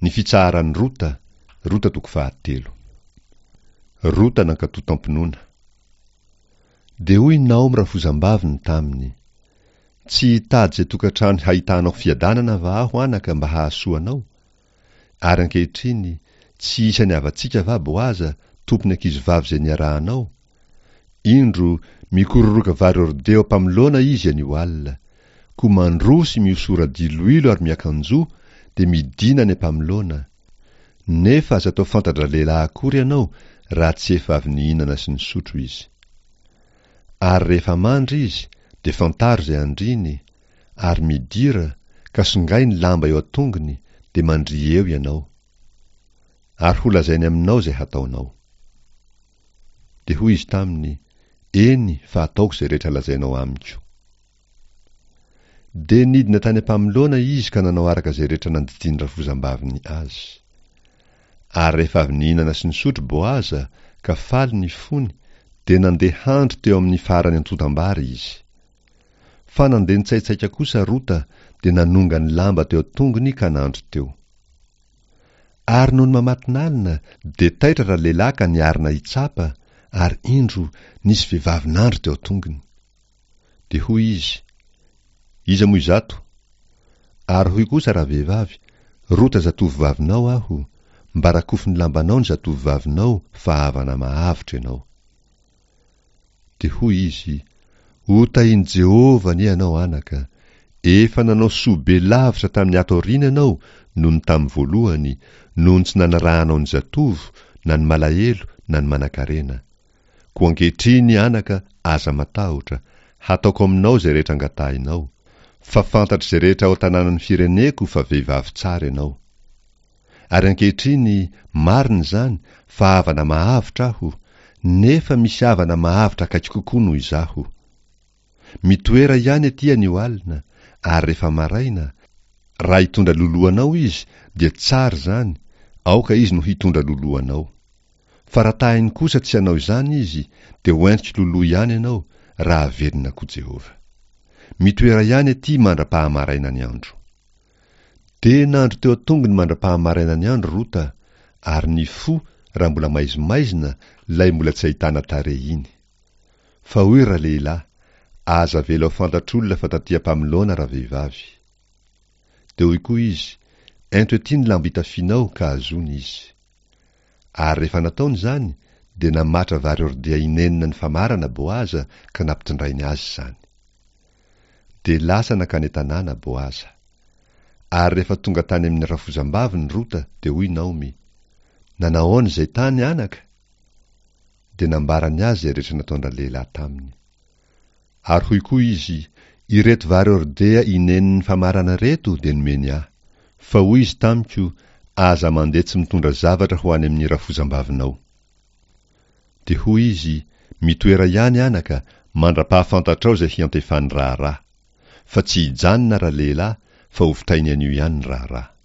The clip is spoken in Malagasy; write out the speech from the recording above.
Ny fitsaharan'i Rota, Rota toko fahatelo. Rota nankatò tam-pinoana. Dia hoy Naomy rafozambaviny taminy, Tsy hitady izay tokantrano hahitanao fiadanana va aho anaka mba hahasoa anao? Ary ankehitriny, tsy isan'ny havantsika va Boaza, tompon'ny ankizivavy izay niarahanao? Indro, mikororoka vary hordea am-pamoloana izy anio alina. Koa mandroa sy mihosora diloilo ary miakanjoa, dia midìna any am-pamoloana. Nefa aza atao fanta-dralehilahy akory ianao raha tsy efa avy nihinana sy nisotro izy. Ary rehefa mandry izy, dia fantaro izay andriany, ary midira, ka songay ny lamba eo an-tongony, dia mandria eo ianao. Ary holazainy aminao izay hataonao. Dia hoy izy taminy, Eny, fa ataoko izay rehetra lazainao amiko. Dia nidina tany am-pamoloana izy ka nanao araka izay rehetra nandidian'ny rafozambaviny azy. Ary rehefa avy nihinana sy nisotro Boaza, ka faly ny fony, dia nandeha handry teo amin'ny faran'ny antontam-bary izy. Fa nandeha nitsaitsaika kosa Rota, dia nanonga ny lamba teo an-tongony ka nandry teo. Ary nony mamatinalina, dia taitra ralehilahy ka niarina hitsapa, ary indro, nisy vehivavy nandry teo an-tongony. Dia hoy izy, Iza moa izato? Ary hoy kosa ravehivavy, Rota zatovovavinao aho, mba rakofy ny lambanao ny zatovovavinao fa havana mahavotra ianao. Dia hoy izy, Ho tahin'i Jehovah anie ianao, anaka! Efa nanao soa be lavitra tamin'ny ato aoriana ianao noho ny tamin'ny voalohany, noho ny tsy nanarahanao ny zatovo, na ny malahelo, na ny manankarena. Koa ankehitriny, anaka, aza matahotra, hataoko aminao izay rehetra angatahinao, fa fantatr'izay rehetra ao an-tanànan'ny fireneko fa vehivavy tsara ianao. Ary ankehitriny, marina izany, fa havana mahavotra aho, nefa misy havana mahavotra akaiky kokoa noho izaho. Mitoera ihany aty anio alina, ary rehefa maraina, raha hitondra loloha anao izy, dia tsara izany, aoka izy no hitondra loloha anao. Fa raha tahiny kosa tsy hanao izany izy, dia ho entiko loloha ihany ianao, raha velona koa Jehovah. Mitoera ihany aty mandra-pahamaraina ny andro. Dia nandry teo an-tongony mandra-pahamaraina ny andro Rota, ary nifoha raha mbola maizimaizina ilay mbola tsy ahitana tarehy iny. Fa hoy ralehilahy, Aza avela ho fantatr'olona fa taty am-pamoloana ravehivavy. Dia hoy koa izy, Ento ety ny lamba itafianao ka azony izy. Ary rehefa nataony izany, dia namatra vary hordea inenina ny famarana Boaza ka nampitondrainy azy izany. Dia lasa nankany an-tanàna Boaza. Ary rehefa tonga tany amin'ny rafozambaviny Rota, dia hoy Naomy, Nanahoana izay tany, anaka? Dia nambarany azy izay rehetra nataon-dralehilahy taminy. Ary hoy koa izy, Ireto vary hordea inenin'ny famarana ireto dia nomeny ahy. Fa hoy izy tamiko, Aza mandeha tsy mitondra zavatra ho any amin'ny rafozambavinao. Dia hoy izy, Mitoera ihany, anaka, mandra-pahafantatrao izay hiantefan'ny raharaha. Fa tsy hijanona ralehilahy, fa hovitainy anio ihany ny raharaha.